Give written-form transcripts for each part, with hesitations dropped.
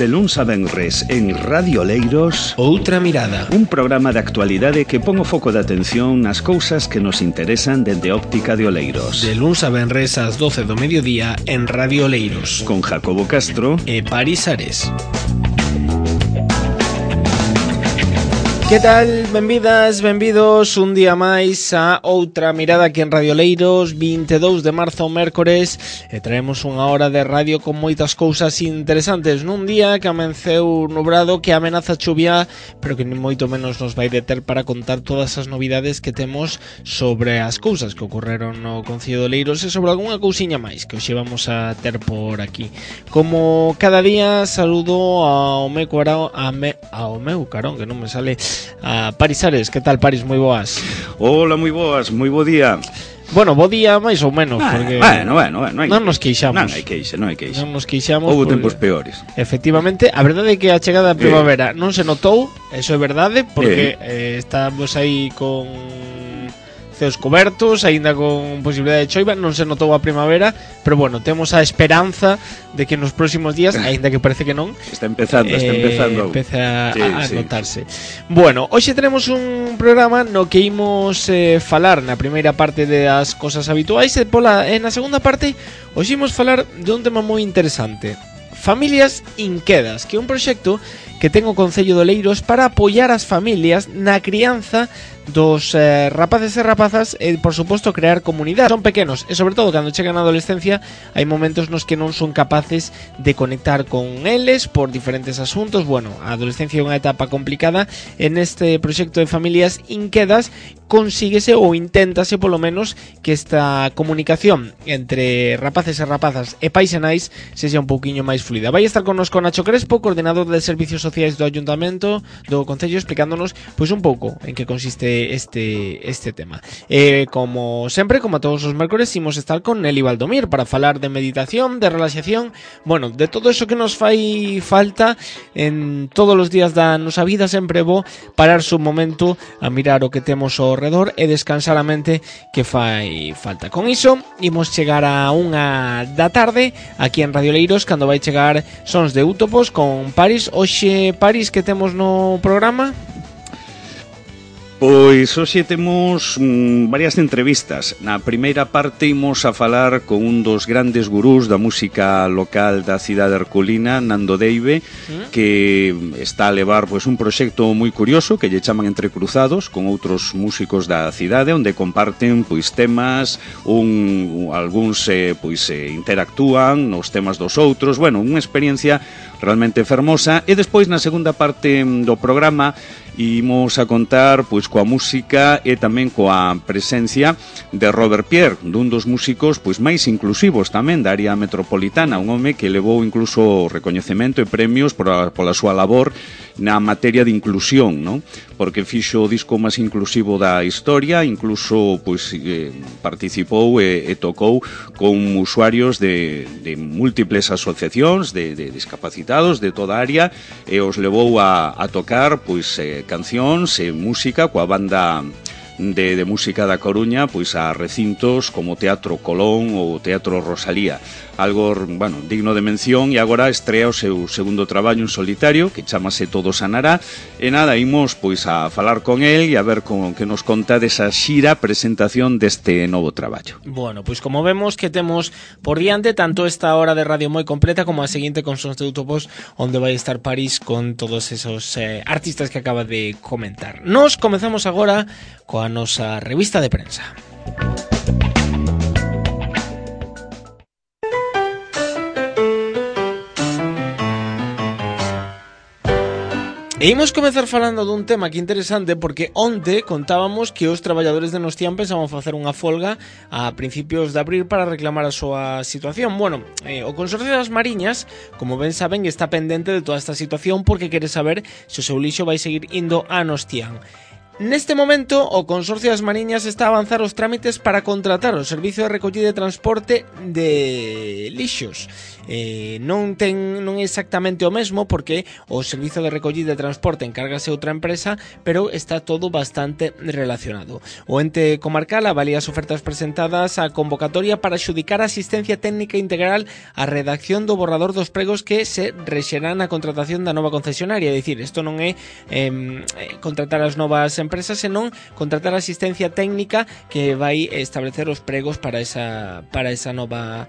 De luns a venres en Radio Oleiros, Outra Mirada, un programa de actualidade que pon o foco de atención nas cousas que nos interesan dende óptica de Oleiros. De luns a venres ás 12 do mediodía en Radio Oleiros, Con Jacobo Castro e Paris Ares. Que tal? Benvidas, benvidos un día máis a Outra Mirada aquí en Radio Oleiros, 22 de marzo, mércores, e traemos unha hora de radio con moitas cousas interesantes nun día que amenceu nubrado, que amenaza chuvia, pero que ni moito menos nos vai deter para contar todas as novidades que temos sobre as cousas que ocorreron no Concello de Oleiros e sobre algunha cousiña máis que hoxe vamos a ter por aquí. Como cada día, saludo ao meu carón, que non me sale, a Paris Ares. Que tal, Paris? Moi boas. Hola, moi boas, moi bo día. Bueno, bo día máis ou menos, porque bueno, non nos queixamos. Non hai queixa. Non nos queixamos. Houbo porque, tempos peores. efectivamente, a verdade é que a chegada da primavera non se notou, eso é verdade, porque estamos aí con ceos cobertos, aínda con posibilidade de choiva, non se notou a primavera, pero bueno, temos a esperanza de que nos próximos días, aínda que parece que non, Está empezando. Empeza a Sí. notarse. Bueno, hoxe tenemos un programa no que imos falar na primeira parte das cosas habituais e na segunda parte hoxe imos falar de un tema moi interesante. Familias Inquedas, que é un proxecto que ten o Concello de Oleiros para apoiar as familias na crianza dos rapaces e rapazas e, por suposto, crear comunidade. Son pequenos e, sobre todo, cando chegan á adolescencia hai momentos nos que non son capaces de conectar con eles por diferentes asuntos. Bueno, a adolescencia é unha etapa complicada e neste proxecto de Familias Inquedas consíguese ou inténtase, polo menos, que esta comunicación entre rapaces e rapazas e pais e nais sexa un pouquiño máis fluida. Vai estar connosco Nacho Crespo, coordenador de Servicios Sociais do Ayuntamento do Concello, explicándonos pois un pouco en que consiste este tema. Como sempre, como a todos os mércores, imos estar con Nelly Valdomir para falar de meditación, de relaxación, bueno, de todo eso que nos fai falta en todos os días da nosa vida. Sempre bo pararse un momento a mirar o que temos ao redor e descansar a mente que fai falta. Con iso, imos chegar a 1 da tarde aquí en Radio Oleiros, cando vai chegar Sons de Útopos con Paris. Hoxe, Paris, que temos no programa? Pois hoxe temos varias entrevistas. Na primeira parte imos a falar con un dos grandes gurús da música local da cidade herculina, Nando Deive, que está a levar pois un proxecto moi curioso que lle chaman Entrecruzados, con outros músicos da cidade, onde comparten pois temas, algúns interactúan nos temas dos outros. Bueno, unha experiencia realmente fermosa. E despois, na segunda parte do programa, imos a contar pois coa música e tamén coa presencia de Robert Pierre, dun dos músicos pois máis inclusivos tamén da área metropolitana, un home que levou incluso recoñecemento e premios pola súa labor na materia de inclusión, non? Porque fixo o disco máis inclusivo da historia, incluso pois participou e tocou con usuarios de múltiples asociacións de discapacitados de toda a área e os levou a tocar pois cancións e música coa banda de música da Coruña pois a recintos como Teatro Colón ou Teatro Rosalía. Algo, bueno, digno de mención. E agora estrea o seu segundo traballo en solitario, que chamase Todo Sanará. E nada, imos pois a falar con el e a ver con que nos conta desa xira presentación deste novo traballo. Bueno, pois como vemos que temos por diante tanto esta hora de radio moi completa como a seguinte con Sons de Útopos, onde vai estar París con todos esos artistas que acaba de comentar. Nos comezamos agora coa nosa revista de prensa. E imos comezar falando dun tema que interesante, porque onte contábamos que os traballadores de Nostián pensaban facer unha folga a principios de abril para reclamar a súa situación. Bueno, o Consorcio das Mariñas, como ben saben, está pendente de toda esta situación porque quere saber se o seu lixo vai seguir indo a Nostián. Neste momento, o Consorcio das Mariñas está a avanzar os trámites para contratar o servicio de recollida e transporte de lixos. Non é exactamente o mesmo porque o servicio de recollida e transporte encárgase outra empresa, pero está todo bastante relacionado. O ente comarcal avalía as ofertas presentadas á convocatoria para xudicar asistencia técnica integral á redacción do borrador dos pregos que se rexerán na contratación da nova concesionaria. É dicir, isto non é contratar as novas empresas, senón contratar asistencia técnica que vai establecer os pregos para esa nova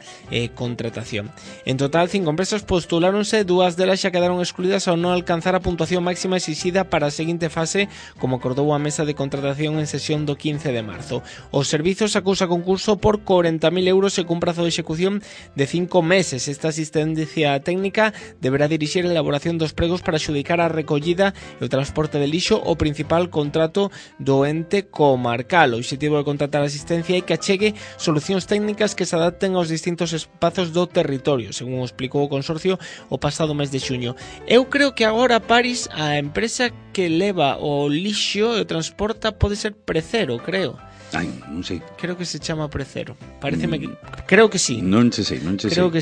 contratación. En total, 5 empresas postuláronse, 2 delas xa quedaron excluídas ao non alcanzar a puntuación máxima exixida para a seguinte fase, como acordou a mesa de contratación en sesión do 15 de marzo. Os servizos acusa concurso por 40.000 euros e cun prazo de execución de 5 meses. Esta asistencia técnica deberá dirixir a elaboración dos pregos para xudicar a recollida e o transporte de lixo, o principal contrato do ente comarcal. O objetivo de contratar asistencia é que achegue solucións técnicas que se adapten aos distintos espazos do territorio, según explicou o Consorcio o pasado mes de xuño. Eu creo que agora, Paris, a empresa que leva o lixo e o transporta pode ser Precero, creo. Ai, non sei. Creo que se chama Precero. Pareceme que... Creo que sí. Non che sei. Creo que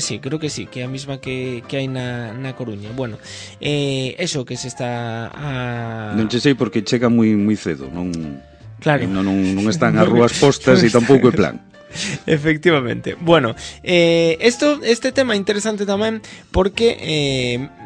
sí, que é a mesma que hai na Coruña. Bueno, eso que se está a... Non che sei porque chega moi cedo, non... Claro. Non están as rúas postas e tampouco é plan. Efectivamente. Bueno, este tema é interesante tamén porque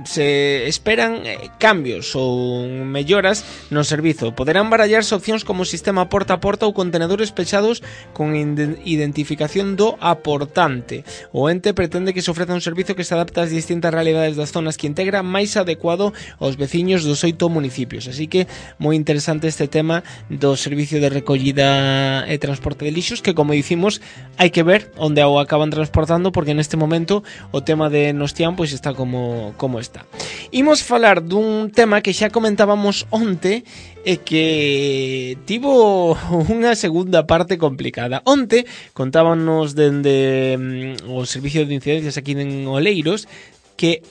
se esperan cambios ou melloras no servizo. Poderán barallarse opcións como sistema porta a porta ou contenedores pechados con identificación do aportante. O ente pretende que se ofreza un servizo que se adapta ás distintas realidades das zonas que integra, máis adecuado aos veciños dos 8 municipios. Así que moi interesante este tema do servicio de recollida e transporte de lixos, que, como dicimos, hai que ver onde o acaban transportando, porque neste momento o tema de Nostián pois está como está. Imos falar dun tema que xa comentábamos onte e que tivo unha segunda parte complicada. Onte contábanos dende o servicio de incidencias aquí en Oleiros que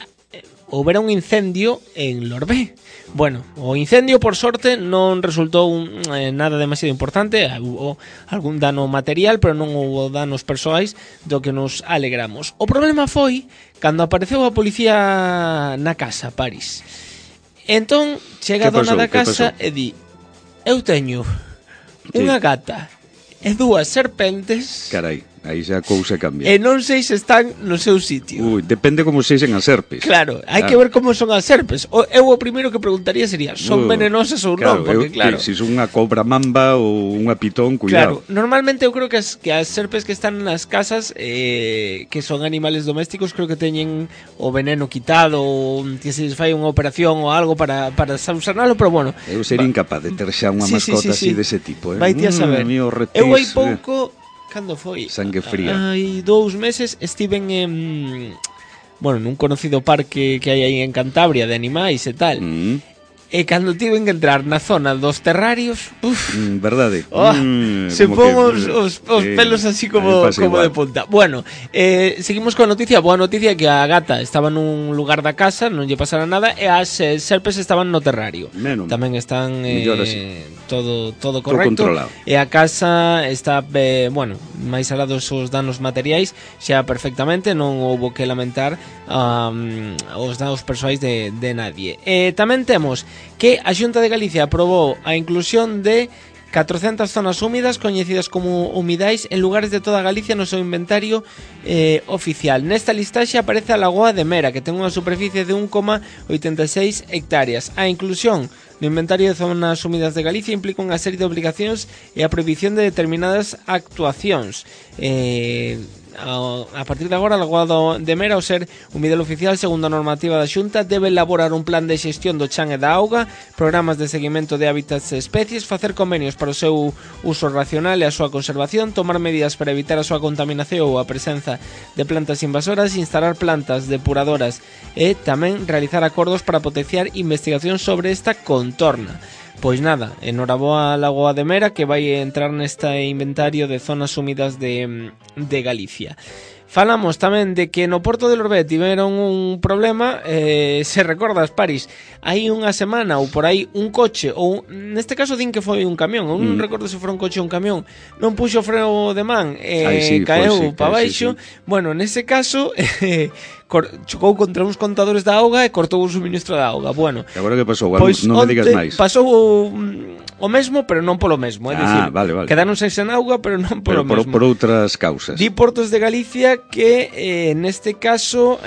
houbera un incendio en Lorbé. Bueno, o incendio, por sorte, non resultou nada demasiado importante. Hubo algún dano material, pero non houbo danos persoais, do que nos alegramos. O problema foi cando apareceu a policía na casa, Paris. Entón, chega a dona da casa e di: eu teño unha gata e 2 serpentes. Carai, aí xa a cousa cambia. E non sei se están no seu sitio. Depende como sexen as serpes. Claro, hai que ver como son as serpes. Eu o primeiro que preguntaría sería: son venenosas ou non? Porque claro, se son unha cobra mamba ou unha pitón, cuidado. Claro, normalmente eu creo que as serpes que están nas casas, que son animales domésticos, creo que teñen o veneno quitado, ou que se les fai unha operación ou algo para sanalo, pero bueno. Eu sería incapaz de ter xa unha mascota así dese tipo. Vai ti a saber. Eu hai pouco... Cando foi? Sangue fría. Hai 2 meses estiven nun conocido parque que hai aí en Cantabria de animais e tal. E cando tiven que entrar na zona dos terrarios, verdade. Se pon os pelos así como de punta. Bueno, seguimos coa noticia. Boa noticia é que a gata estaba nun lugar da casa, non lle pasara nada, e as serpes estaban no terrario. Tamén están todo correcto. Todo controlado. E a casa está, máis alá dos danos materiais, xa perfectamente, non houbo que lamentar os danos persoais de nadie. Tamén temos que a Xunta de Galicia aprobou a inclusión de 400 zonas húmidas coñecidas como humidais en lugares de toda Galicia no seu inventario oficial. Nesta listaxe aparece a Lagoa de Mera, que ten unha superficie de 1,86 hectáreas. A inclusión no inventario de zonas húmidas de Galicia implica unha serie de obligacións e a prohibición de determinadas actuacións. A partir de agora, a Lagoa de Mera, ao ser humidal oficial segundo a normativa da Xunta, debe elaborar un plan de xestión do chan e da auga, programas de seguimento de hábitats e especies, facer convenios para o seu uso racional e a súa conservación, tomar medidas para evitar a súa contaminación ou a presenza de plantas invasoras, instalar plantas depuradoras e tamén realizar acordos para potenciar investigación sobre esta contorna. Pois nada, enhoraboa a Lagoa de Mera, que vai entrar neste inventario de zonas húmidas de Galicia. falamos tamén de que no Porto de Lorbet tiveron un problema, se recordas, Paris, hai unha semana ou por aí un coche, ou neste caso din que foi un camión, ou non recordo se foi un coche ou un camión, non puxo freno de man, caeu para baixo, bueno, nese caso chocou contra uns contadores da auga e cortou o suministro da auga. Bueno, e agora que pasou? Pois non me digas máis. Pasou o mesmo, pero non polo mesmo, é dicir, vale. quedaron sen auga, pero non polo mesmo. Por outras causas. Di Portos de Galicia que neste caso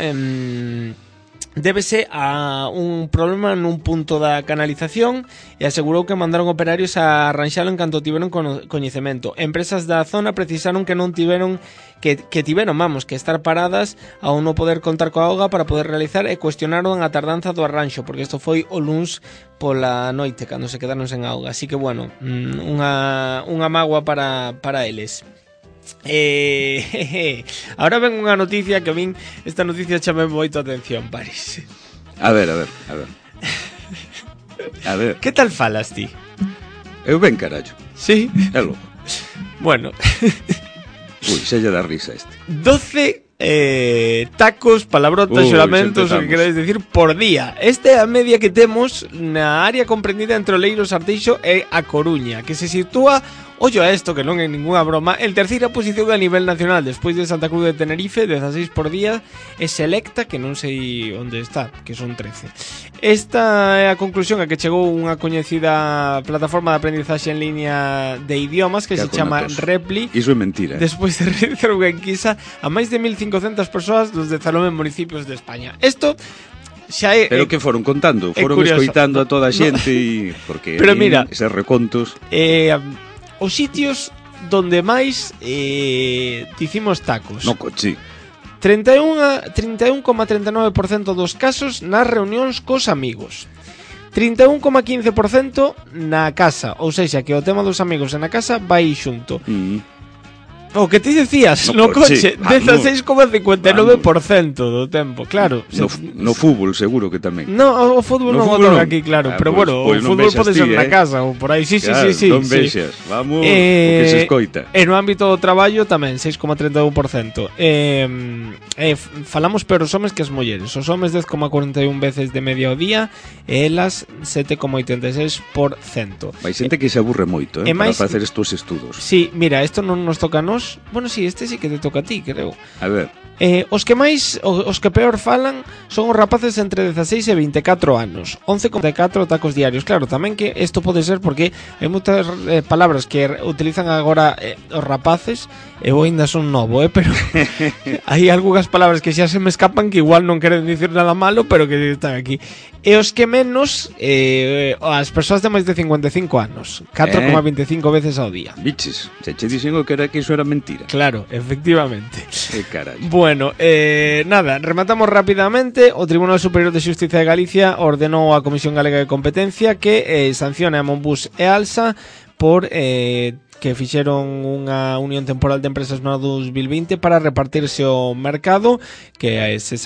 débese a un problema nun punto da canalización e asegurou que mandaron operarios a arranxalo en canto tiveron coñecemento. Empresas da zona precisaron que non tiveron que estar paradas ao non poder contar coa auga para poder realizar e cuestionaron a tardanza do arranxo, porque isto foi o luns pola noite cando se quedaron sen auga. Así que bueno, unha mágoa para eles. Ahora ven unha noticia que a min esta noticia chame moito a atención, Paris. A ver. Que tal falas ti? Eu ben, carallo. Sí? É logo. Bueno. Ui, xa lle dá risa este. 12 tacos, palabrotas, xuramentos, o que queráis decir, por día. Esta é a media que temos na área comprendida entre Oleiros, Arteixo e A Coruña, que se sitúa, ollo a esto, que non é ninguna broma, en terceira posición a nivel nacional, despois de Santa Cruz de Tenerife, 16 por día, e Selecta, que non sei onde está, que son 13. Esta é a conclusión a que chegou unha coñecida plataforma de aprendizaxe en línea de idiomas que se chama Repli. Iso é mentira. Despois de realizar unha enquisa a máis de 1.500 persoas dos 19 municipios de España. Isto xa é... Pero que foron contando? Foron escoitando a toda a xente porque pero mira, eses recontos... os sitios donde máis dicimos tacos. No coche. 31,39% dos casos nas reunións cos amigos. 31,15% na casa, ou seja, que o tema dos amigos e na casa vai xunto. O que ti decías, no coche 16,59% do tempo, claro. No fútbol seguro que tamén. No, o fútbol non o toca aquí, claro, pero bueno, o fútbol pode ser na casa ou por aí, sí. Non vexas, vamos, o que se escoita. E no ámbito do traballo tamén 6,31%. Falamos pero os homes que as mulleres. Os homes 10,41 veces de media ao día e elas 7,86%. Vai xente que se aburre moito, para facer estos estudos. Sí, mira, isto non nos toca a nós. Bueno, sí, este sí que te toca a ti, creo. A ver. Os que peor falan son os rapaces entre 16 e 24 anos. 11,4 tacos diarios. Claro, tamén que isto pode ser porque hai moitas palabras que utilizan agora os rapaces. Eu ainda son novo, pero hai algunhas palabras que xa se me escapan que igual non queren dicir nada malo, pero que están aquí. E os que menos, as persoas de máis de 55 anos, 4,25 veces ao día. Biches, se che dixen que iso era mentira. Claro, efectivamente. Carai. Bueno, nada, rematamos rapidamente. O Tribunal Superior de Xustiza de Galicia ordenou á Comisión Galega de Competencia que sancione a Monbus e Alsa por que fixeron unha unión temporal de empresas no 2020 para repartirse o mercado, que se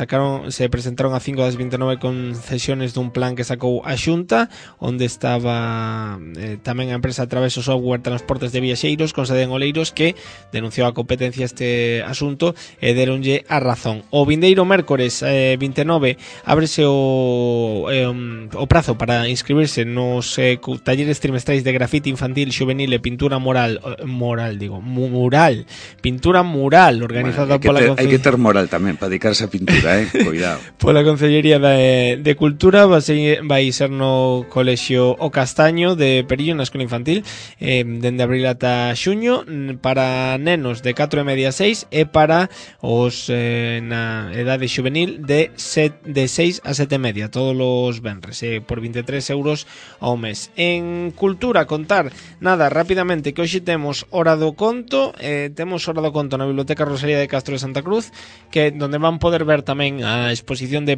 presentaron a 5 das 29 concesiones dun plan que sacou a Xunta, onde estaba tamén a empresa Traveso Software Transportes de Viaxeiros con sede en Oleiros, que denunciou a competencia este asunto e deronlle a razón. O vindeiro mércores 29 ábrese o prazo para inscribirse nos talleres trimestrais de grafite infantil, juvenil e pintura pintura mural organizada pola Concellería. Hai que ter moral tamén para dedicarse a pintura, cuidado. Pola Concellería de Cultura vai ser no Colexio O Castaño de Perillo, na escola infantil, dende abril ata xuño, para nenos de 4 e media a 6 e para os na edade juvenil de 6 a 7 e media, todos os venres, por 23 euros ao mes. En Cultura, contar, nada, rápidamente, que hoxe temos Hora do Conto, na Biblioteca Rosalía de Castro de Santa Cruz, que donde van poder ver tamén a exposición de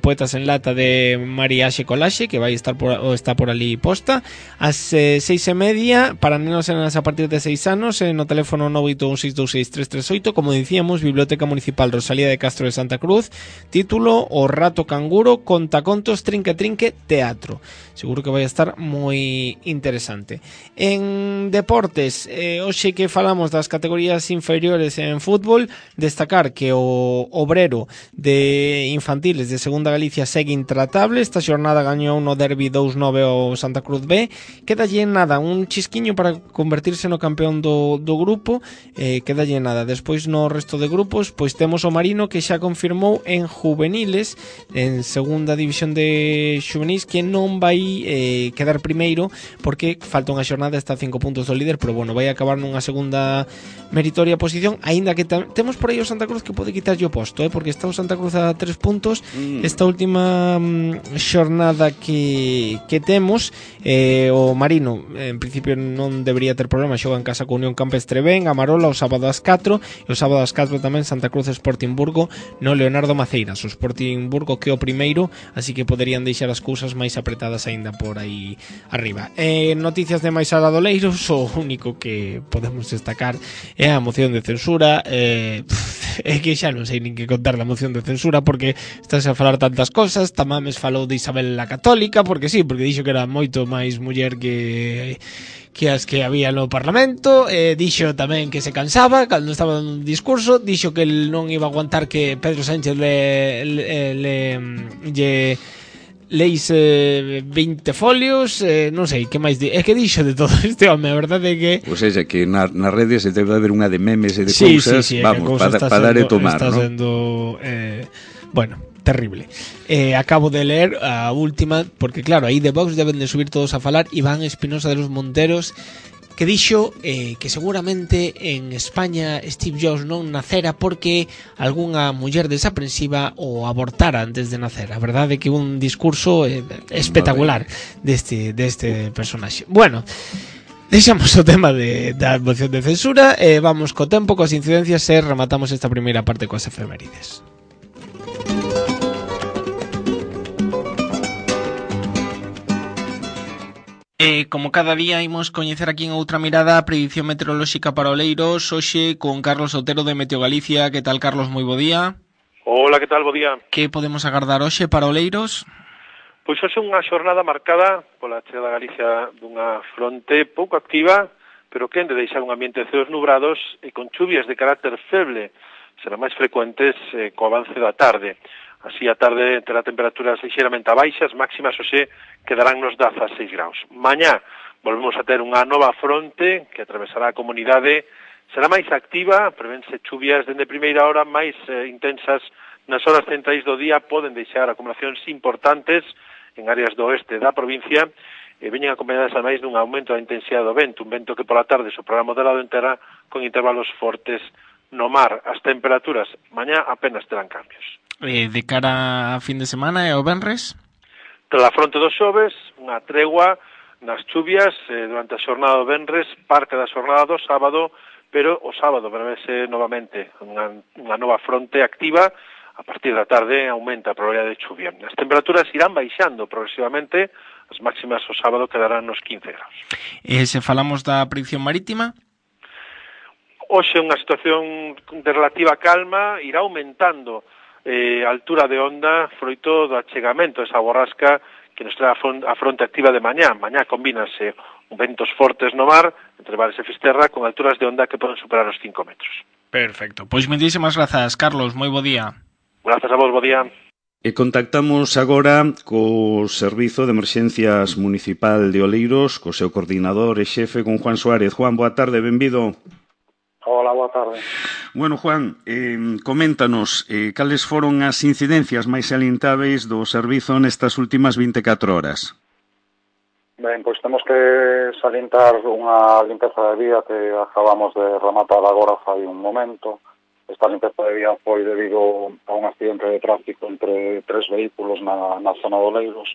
poetas en lata de Mariaxe Colaxe, que vai estar está por ali posta, ás 6:30 para nenos e nenas a partir de 6 anos, no teléfono 981626338, como dicíamos, Biblioteca Municipal Rosalía de Castro de Santa Cruz, título O Rato Canguro, contacontos, trinque teatro. Seguro que vai estar moi interesante. En deporte, deportes, hoxe que falamos das categorías inferiores en fútbol, destacar que o Obrero de infantiles de Segunda Galicia segue intratable. Esta xornada gañou no derbi 2-9 ao Santa Cruz B. Quedalle nada, un chisquiño para convertirse no campeón do grupo, quedalle nada. Despois no resto de grupos, pois temos o Marino que xa confirmou en juveniles, en segunda división de xuvenis, que non vai quedar primeiro porque falta unha xornada, está a 5 puntos do líder, pero bueno, vai acabar nunha segunda meritoria posición, aínda que temos por aí o Santa Cruz que pode quitarlle o posto, porque está o Santa Cruz a 3 puntos. Esta última xornada que temos, o Marino en principio non debería ter problema, xoga en casa con Unión Campestre Ben, a Marola o sábado ás 4, e o sábado ás 4 tamén Santa Cruz Sporting Burgo no Leonardo Maceiras. O Sporting Burgo que é o primeiro, así que poderían deixar as cousas máis apretadas aínda por aí arriba. Noticias de máis alá do Oleiros, o único que podemos destacar é a moción de censura. É que xa non sei nin que contar da moción de censura, porque estás a falar tantas cosas. Tamames falou de Isabel la Católica, porque sí, porque dixo que era moito máis muller que as que había no Parlamento. Dixo tamén que se cansaba cando estaba dando un discurso. Dixo que el non iba a aguantar que Pedro Sánchez leis 20 folios, non sei, que máis é que dixo de todo este home, a verdade é que pois é que nas redes se debe haber unha de memes e de cousas, vamos, para dar e tomar, está sendo, bueno, terrible. Acabo de leer a última, porque claro, aí de Vox deben de subir todos a falar. Iván Espinosa de los Monteros, que dixo que seguramente en España Steve Jobs non nacera porque algunha muller desaprensiva o abortara antes de nacer. A verdade é que un discurso espectacular deste personaxe. Bueno, deixamos o tema da moción de censura e vamos co tempo, coas incidencias, e rematamos esta primeira parte coas efemérides. Como cada día imos coñecer aquí en Outra Mirada a predición meteorolóxica para Oleiros, hoxe con Carlos Otero de Meteo Galicia. Que tal, Carlos? Moi bo día. Hola, que tal? Bo día. Que podemos agardar hoxe para Oleiros? Pois hoxe unha xornada marcada pola chegada a Galicia dunha fronte pouco activa, pero que, en de deixar un ambiente de ceos nubrados e con chuvias de carácter feble, serán máis frecuentes co avance da tarde. Así a tarde terá temperaturas lixeiramente baixas, máximas hoxe quedarán nos 16 graus. Mañá volvemos a ter unha nova fronte que atravesará a comunidade, será máis activa, prevense chuvias dende primeira hora máis intensas nas horas centrais do día, poden deixar acumulacións importantes en áreas do oeste da provincia, e veñen acompañadas ademais dun aumento da intensidade do vento, un vento que pola tarde soprará moderado en terra con intervalos fortes no mar. As temperaturas mañá apenas terán cambios. De cara a fin de semana e ao venres? Tras a fronte dos xoves, unha tregua nas chuvias durante a xornada do venres, parte da xornada do sábado, pero o sábado prevese novamente unha nova fronte activa. A partir da tarde aumenta a probabilidade de chuvia. As temperaturas irán baixando progresivamente, as máximas o sábado quedarán nos 15 graus. Se falamos da predicción marítima? Hoxe unha situación de relativa calma, irá aumentando a altura de onda froito do achegamento esa borrasca que nos trae a fronte activa de mañá. Mañá combínase ventos fortes no mar, entre Bares e Fisterra, con alturas de onda que poden superar os 5 metros. Perfecto. Pois moitísimas grazas, Carlos. Moi bo día. Grazas a vos, bo día. E contactamos agora co Servizo de Emerxencias Municipal de Oleiros, co seu coordinador e xefe, con Juan Suárez. Juan, boa tarde, benvido. Hola, boa tarde. Bueno, Juan, coméntanos cales foron as incidencias máis salientáveis do servizo nestas últimas 24 horas. Ben, pois temos que salientar unha limpeza de vía que acabamos de rematar agora fai un momento. Esta limpeza de vía foi debido a un accidente de tráfico entre 3 vehículos na zona de Oleiros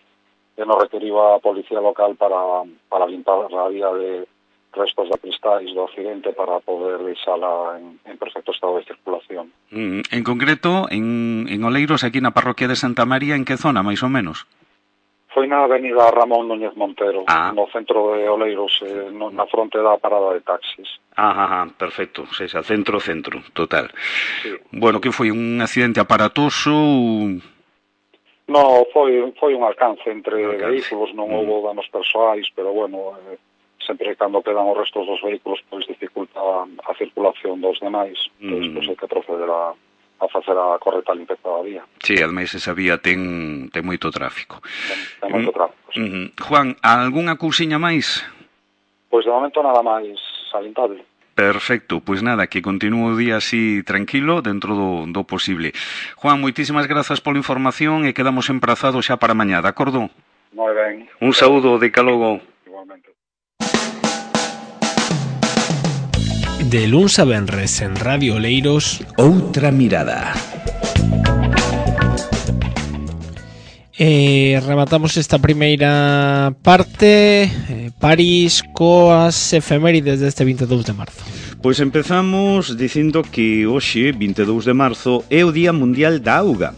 que nos requeriba a policía local para limpar a vía de restos de cristais do accidente para poder deixala en perfecto estado de circulación. En concreto, en Oleiros, aquí na parroquia de Santa María, en que zona, máis ou menos? Foi na avenida Ramón Núñez Montero, no centro de Oleiros, na fronte da parada de taxis. Perfecto, o sea, centro, total. Sí. Bueno, que foi un accidente aparatoso? No, foi un alcance entre vehículos, non houbo danos persoais, pero bueno, sempre cando quedan os restos dos vehículos pois dificulta a circulación dos demais, pois hai que proceder a facer a correcta limpeza da vía. Sí, ademais esa vía ten moito tráfico. Ten moito tráfico, sí. Juan, algunha cousiña máis? Pois de momento nada máis salientable. Perfecto, pois nada, que continúe o día así tranquilo dentro do posible. Juan, moitísimas grazas pola información e quedamos emprazados xa para mañá, de acordo? Moi ben. Un saúdo, de calogo. Igualmente. De luns a venres en Radio Oleiros, Outra mirada. Rematamos esta primeira parte, París, coas efemérides deste 22 de marzo. Pois empezamos dicindo que hoxe, 22 de marzo, é o Día Mundial da Auga,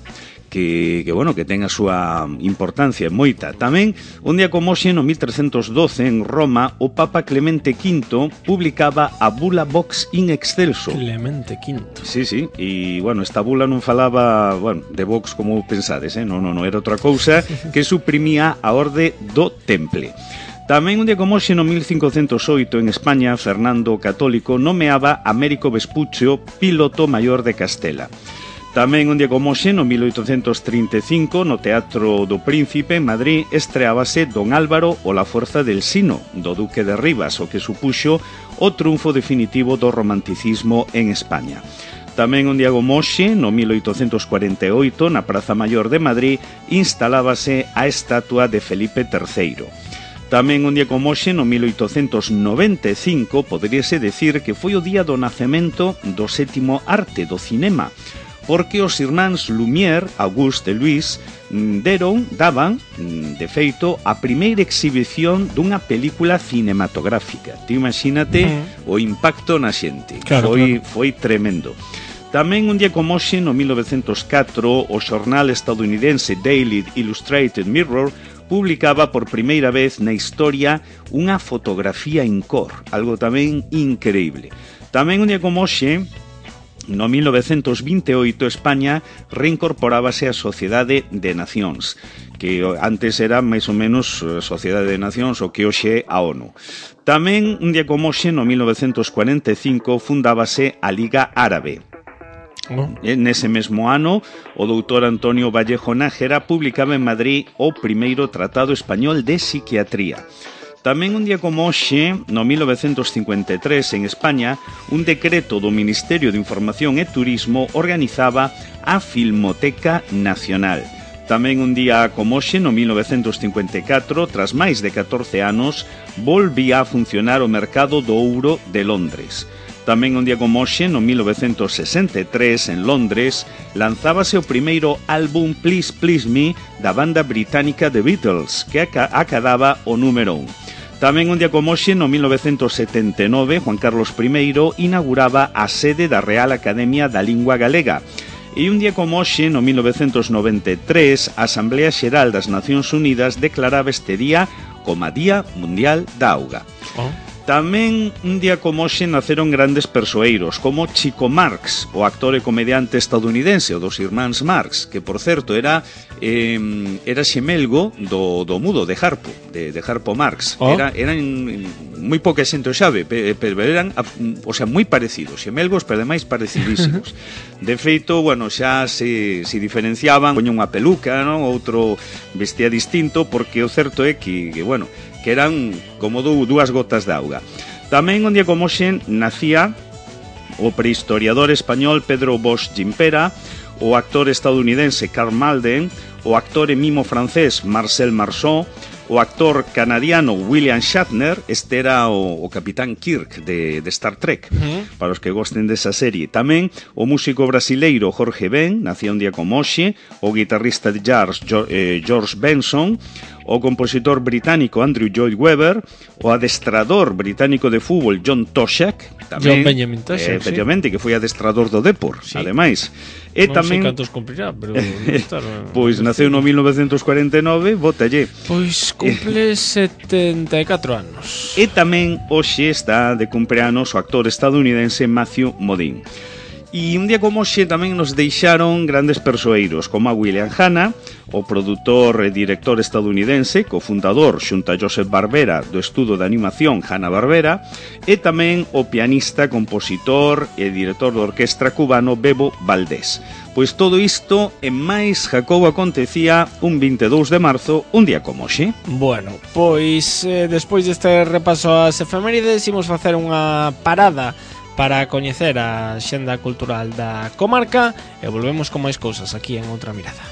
que ten a súa importancia moita. Tamén, un día como hoxe, no 1312, en Roma, o Papa Clemente V publicaba a bula Vox in Excelso. Clemente V. Sí, e, esta bula non falaba, de Vox como pensades, non, era outra cousa que suprimía a orde do Temple. Tamén un día como hoxe, no 1508, en España, Fernando o Católico nomeaba a Américo Vespuccio piloto maior de Castela. Tamén un día como hoxe, no 1835, no Teatro do Príncipe, en Madrid, estreábase Don Álvaro o la Fuerza del Sino, do Duque de Rivas, o que supuxo o triunfo definitivo do romanticismo en España. Tamén un día como hoxe, no 1848, na Praza Mayor de Madrid, instalábase a estatua de Felipe III. Tamén un día como hoxe, no 1895, poderíase decir que foi o día do nacemento do sétimo arte, do cinema, porque os irmáns Lumière, Auguste e Louis, daban, de feito, a primeira exhibición dunha película cinematográfica. Ti imagínate o impacto na xente. Foi tremendo. Tamén un día como hoxe, no 1904, o xornal estadounidense Daily Illustrated Mirror publicaba por primeira vez na historia unha fotografía en cor, algo tamén increíble. Tamén un día como hoxe, no 1928, España reincorporábase á Sociedade de Nacións, que antes era máis ou menos Sociedade de Nacións, o que hoxe é a ONU. Tamén un día como hoxe, no 1945, fundábase a Liga Árabe. Nese mesmo ano, o doutor Antonio Vallejo Nájera publicaba en Madrid o primeiro Tratado Español de Psiquiatría. Tamén un día como hoxe, no 1953, en España, un decreto do Ministerio de Información e Turismo organizaba a Filmoteca Nacional. Tamén un día como hoxe, no 1954, tras máis de 14 anos, volvía a funcionar o mercado do ouro de Londres. Tamén un día como hoxe, no 1963, en Londres, lanzábase o primeiro álbum Please Please Me da banda británica The Beatles, que acadaba o número 1. Tamén un día como hoxe, no 1979, Juan Carlos I inauguraba a sede da Real Academia da Lingua Galega. E un día como hoxe, no 1993, a Asamblea Xeral das Nacións Unidas declaraba este día como Día Mundial da Auga. Tamén un día como hoxe naceron grandes persoeiros, como Chico Marx, o actor e comediante estadounidense, o dos irmáns Marx, que, por certo, era xemelgo do mudo de Harpo, de Harpo Marx. Eran moi pouca xente o sabe, pero eran, moi parecidos, xemelgos, pero ademais parecidísimos. De feito, xa se diferenciaban, poña unha peluca, non? Outro vestía distinto, porque o certo é que eran como dúas gotas de auga. Tamén un día como hoxe nacía o prehistoriador español Pedro Bosch Gimpera, o actor estadounidense Karl Malden, o actor e mimo francés Marcel Marceau, o actor canadiano William Shatner, este era o Capitán Kirk de Star Trek, para os que gosten desa serie. Tamén o músico brasileiro Jorge Ben, nacía un día como hoxe, o guitarrista de jazz George Benson, o compositor británico Andrew Lloyd Webber, o adestrador británico de fútbol John Toshak, tamén, John Benjamin Toshak, efectivamente, que foi adestrador do Depor, ademais. E non tamén sei cantos cumprirá, pero pois naceu no 1949, bótalle. Pois cumple 74 anos. E tamén hoxe está de cumpleanos o actor estadounidense Matthew Modine. E un día como hoxe tamén nos deixaron grandes persoeiros, como a William Hanna, o produtor e director estadounidense, cofundador xunto a Joseph Barbera do estudo de animación Hanna-Barbera, e tamén o pianista, compositor e director de orquestra cubano Bebo Valdés. Pois todo isto e máis, Jacobo, acontecía un 22 de marzo, un día como hoxe. Bueno, pois despois deste repaso ás efemérides, imos facer unha parada para coñecer a xenda cultural da comarca e volvemos con máis cousas aquí en Outra Mirada.